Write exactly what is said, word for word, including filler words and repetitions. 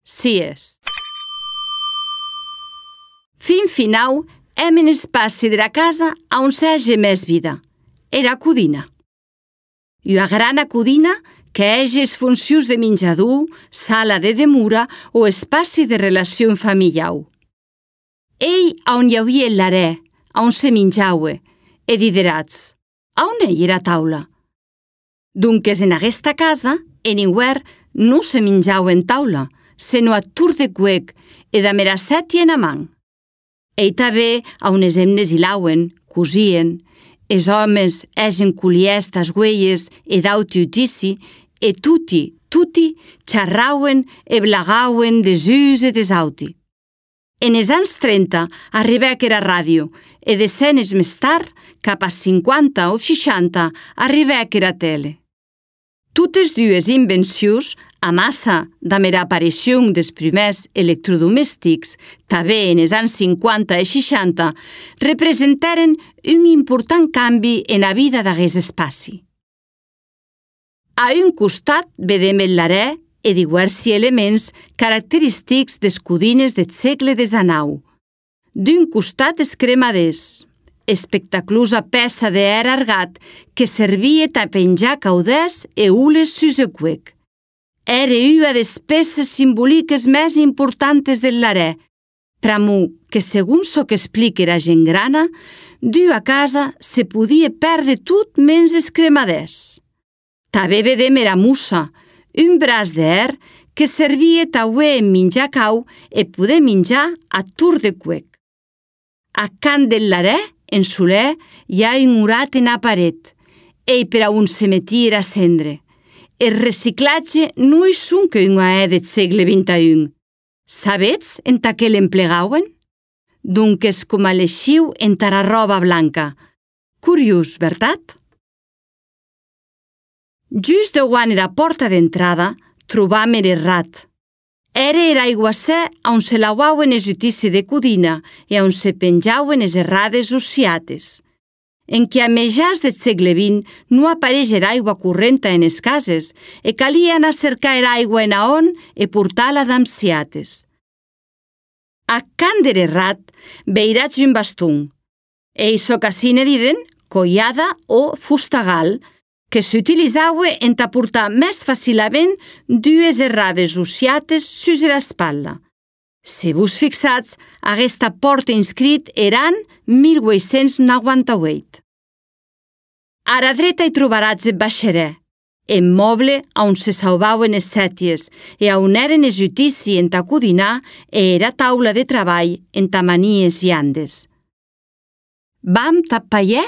Sies. Fin finau, hem en espaci de la casa on s'hagi més vida. Era codina. Una grana codina que hagi les funcions de menjador, sala de demura o espaci de relació familiar. Ei on hi havia l'arè, on se menjaue, e diderats, on hi era taula? Dunques en aquesta casa, en hiver, no se menjau en taula, sinó a tur de cuec e de meracet i en amant. Ei també on es emnes hilauen, cosien, es homes egen culiestas güeyes e d'auti utici, e tuti, tuti, xarrauen e blagauen des us e des auti. En els anys trenta arribèc era ràdio e decennes més tard, cap a cinquanta o seixanta, arribèc era tele. Totes dues invencions, a massa damb era aparició dels primers electrodomèstics, també en els anys cinquanta i seixanta, representaren un important canvi en la vida d'aquest espaci. A un costat vedem el l'arè e diversi elements característics des codines del segle desanau. D'un costat es cremaders, espectaclosa peça d'air argat que servia a penjar caudès e ules sus el cuec. Era una de les peces simbòliques més importants del l'arè, pramo que, segons so que explica la gent grana, d'una casa se podia perdre tot menys els cremaders. També vedem era mussa, un braç d'air que servia també en menjar cau e poder menjar a tur de cuec. A cant del l'arè, en soler, hi ha un murat en la paret, ei per a un se metia a cendre. El reciclatge no és un que una è del segle vint-i-un. Sabets enta què l'emplegauen? Dunques com a l'eixiu enta la roba blanca. Curiós, veritat? Just davant la porta d'entrada trobam el rat. Era era aiguassè on se lavauen els utici de codina e on se penjauen les errades ociates. En què a mitjans del segle vint no apareix aigua correnta en les cases e calia anar a cercar aigua en aon e portar-la d'amciates. A cant del rat veirats un bastón. E so que ne diden collada o fustagal, que s'utilizava en portar més fàcilament dues errades ociates sus l'espatlla. Si vos fixats, aquesta porta inscrit eran mil vuit-cents noranta-vuit. A la dreta hi trobaràs el baixerè, el moble on se salvaven les sèties e on eren els utici en ta codinar e era taula de treball en ta manies viandes. Vam tapaier